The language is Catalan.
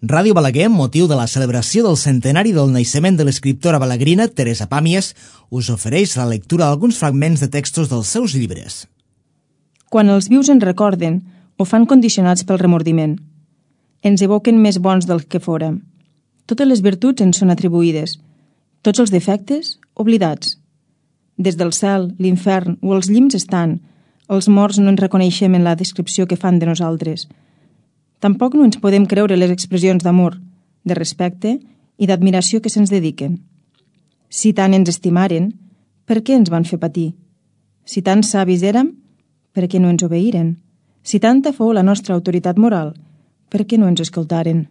Ràdio Balaguer, amb motiu de la celebració del centenari del naixement de l'escriptora balaguerina Teresa Pàmies, us ofereix la lectura d'alguns fragments de textos dels seus llibres. Quan els vius ens recorden, ho fan condicionats pel remordiment. Ens evoquen més bons del que fórem. Totes les virtuts ens són atribuïdes, tots els defectes, oblidats. Des del cel, l'infern o els llims estan, els morts no ens reconeixem en la descripció que fan de nosaltres. Tampoc no ens podem creure les expressions d'amor, de respecte i d'admiració que se'ns dediquen. Si tant ens estimaren, per què ens van fer patir? Si tan savis érem, per què no ens obeïren? Si tanta fou la nostra autoritat moral, per què no ens escoltaren?